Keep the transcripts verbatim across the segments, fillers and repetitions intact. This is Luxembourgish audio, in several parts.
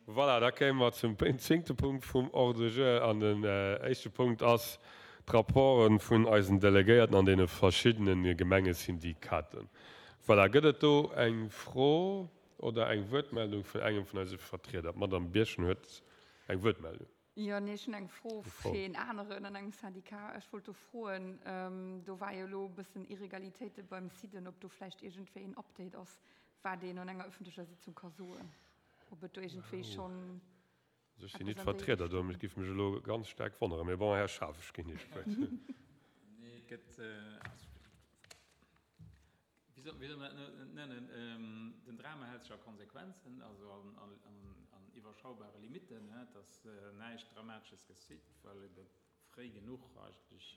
Voilà, da kéime mer zum zéngte Punkt vum Ordre du jour. An den éischte Punkt ass d'Rapporte vun eisen Delegéierten an deene verschiddene Gemengesyndikaten. Voilà, gëtt et do eng Fro oder eng Wuertmeldung vun engem vun eise Vertrieder? D'Madame Birchen huet eng Wuertmeldung. Jo, nee, ech hunn eng Fro fir een aneren an engem Syndicat. Ech wollt do froen, do war jo elo e bëssen Irregalitéite beim SIDEN, ob do vläicht iergendwéi een Update ass, wat een an enger öffentlecher Sitzung ka soen, ob et do iergendwéi schonn Also ech sinn nit Vertrieder do, mee et géif mech elo ganz staark wonneren. Mee bon, Här Schaaf, ech ginn Iech d'Wuert. Nee, et gëtt, also, wéi soll, wéi soll mer dat nennen, den Drama hält sech a Konsequenzen, also an, an, an iwwerschaubare Limitten. Et ass näischt Dramatesches geschitt, well ebe fréi genuch eigentlech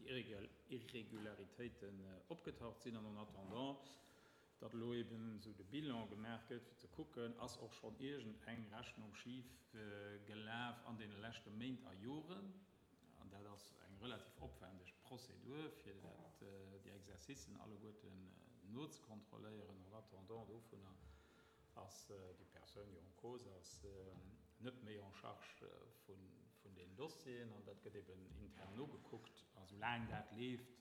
déi Irregularitéiten opgetaucht sinn. An en attendant, datt elo eben esou de Bilan gemaach gëtt, fir ze kucken, ass och schonn iergend eng Rechnung schif gelaf an deene leschte Méint a Joren. An dat ass eng relativ opwendeg Prozedur, fir dat, déi Exercicen alleguerten nozekontrolléieren. En attendant dovunner ass déi Persoun, déi en cause ass, net méi en charge vun deenen Dossieren. An dat gëtt eben intern nogekuckt. A soulaang dat leeft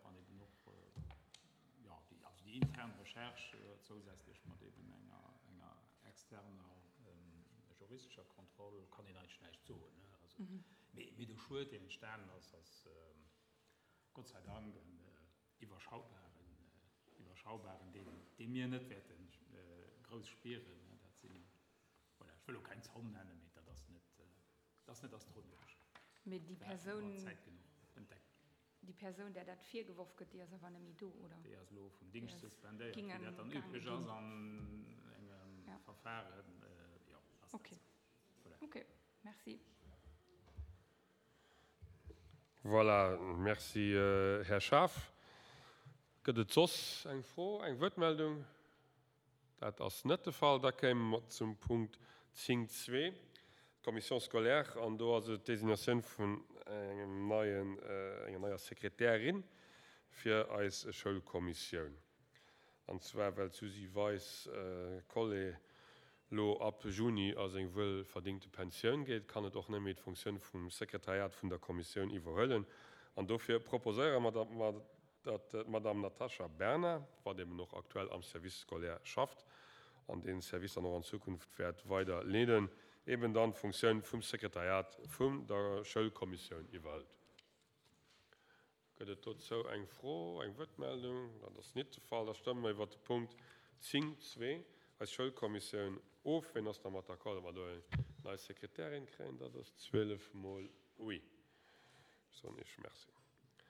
an eben och, jo, déi, also déi intern Recherche zousätzlech mat eben enger, enger externer juristescher Kontroll, kann een eigentlech näischt soen, ne. Also, mee, mee de Schued, deen entstanen ass, ass Gott sei Dank en iwwerschaubaren, iwwerschaubaren, deen, dee mir net wäerte grouss spieren, ne. Dat sinn, voilà, ech wëll elo keng Zomm nennen, mee dat ass net, dat ass net astronomesch. Mee déi Persoun. Zäit genuch entdeckt. Déi Persoun, där dat virgeworf gëtt, déi ass awer net méi do, oder? Déi ass elo vum Dingscht suspendéiert, wéi dat dann üblech ass an engem Verfahren. Jo, ass dat esou. Voilà. Ok, merci. Voilà, merci Här Schaaf. Gëtt et soss eng Fro, eng Wuertmeldung? Dat ass net de Fall. Da kéime mer zum Punkt zéng zwee, d'Commission scolaire, an do ass et d'Designatioun vun engem neien, enger neier Sekretärin fir eis Schoulkommissioun. An zwar well d'Suzy Weis-Collé lo ab Juni a seng wuel verdingte Pensioun geet, kann et och net méi d'Funktioun vum Sekretariat vun der Kommissioun iwwerhuelen. An dofir proposéiere mer, datt mer datt d'Madame Natasha Berna, wat eben och aktuell am Service scolaire schafft an dee Service dann och an Zukunft wäert weider leeden, eben dann d'Funktioun vum Sekretariat vum der Schoulkommissioun iwwerhëlt. Gëtt et dozou eng Fro, eng Wuertmeldung? Dat ass nit de Fall. Da stëmme mer iwwert de Punkt zéng zwee, eis Schoulkommissioun, of. Ween ass dermat d'accord, datt mer do eng nei Sekretärin kréien? Dat ass zwielef mol oui. Ech soen Iech Merci.